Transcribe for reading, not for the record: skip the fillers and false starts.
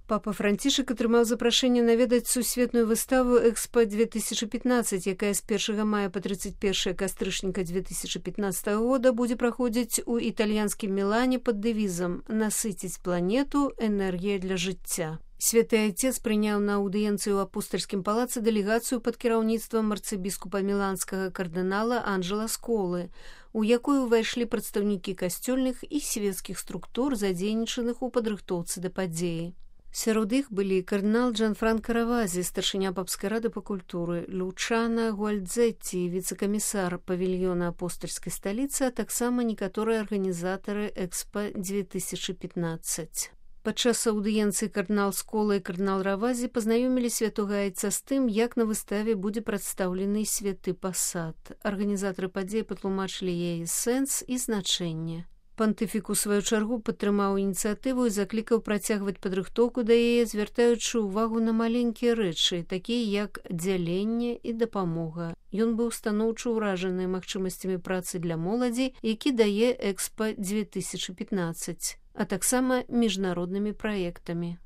Папа Францішак атрымаў запрашэнне наведаць сусветную выставу «Экспо-2015», якая з 1 мая па 31 кастрычніка 2015 года будзе праходзіць у італьянскім Мілане пад дэвізам «Насыціць планету. Энергія для жыцця». Святы Айцец прыняў на аўдыенцыі ў апостальскім палацы дэлегацыю пад кіраўніцтвам арцыбіскупа міланскага кардынала Анджела Сколы, у якую ўвайшлі прадстаўнікі касцёльных і свецкіх структур, задзейнічаных у падрыхтоўцы да падзеі. Сярод іх былі кардынал Джанфранко Равазі, старшыня папскай рады па культуры, Лучана Гуальдзетці, віцэ-камісар павільёна апостальскай сталіцы, а таксама некаторыя арганізатары «Экспо-2015». Падчас аўдыенцыі кардынал Скола і кардынал Равазі пазнаёмілі святога Айца з тым, як на выставе будзе прадстаўлены святы пасад. Арганізатары падзеі патлумачылі яе сэнс і значэнне. Пантыфік у сваю чаргу падтрымаў ініцыятыву і заклікаў працягваць падрыхтоўку да яе, звяртаючы ўвагу на маленькія рэчы, такія як дзяленне і дапамога. Ён быў станоўча ўражаны магчымасцямі працы для моладзі, які дае «Экспо-2015», а таксама міжнароднымі праектамі.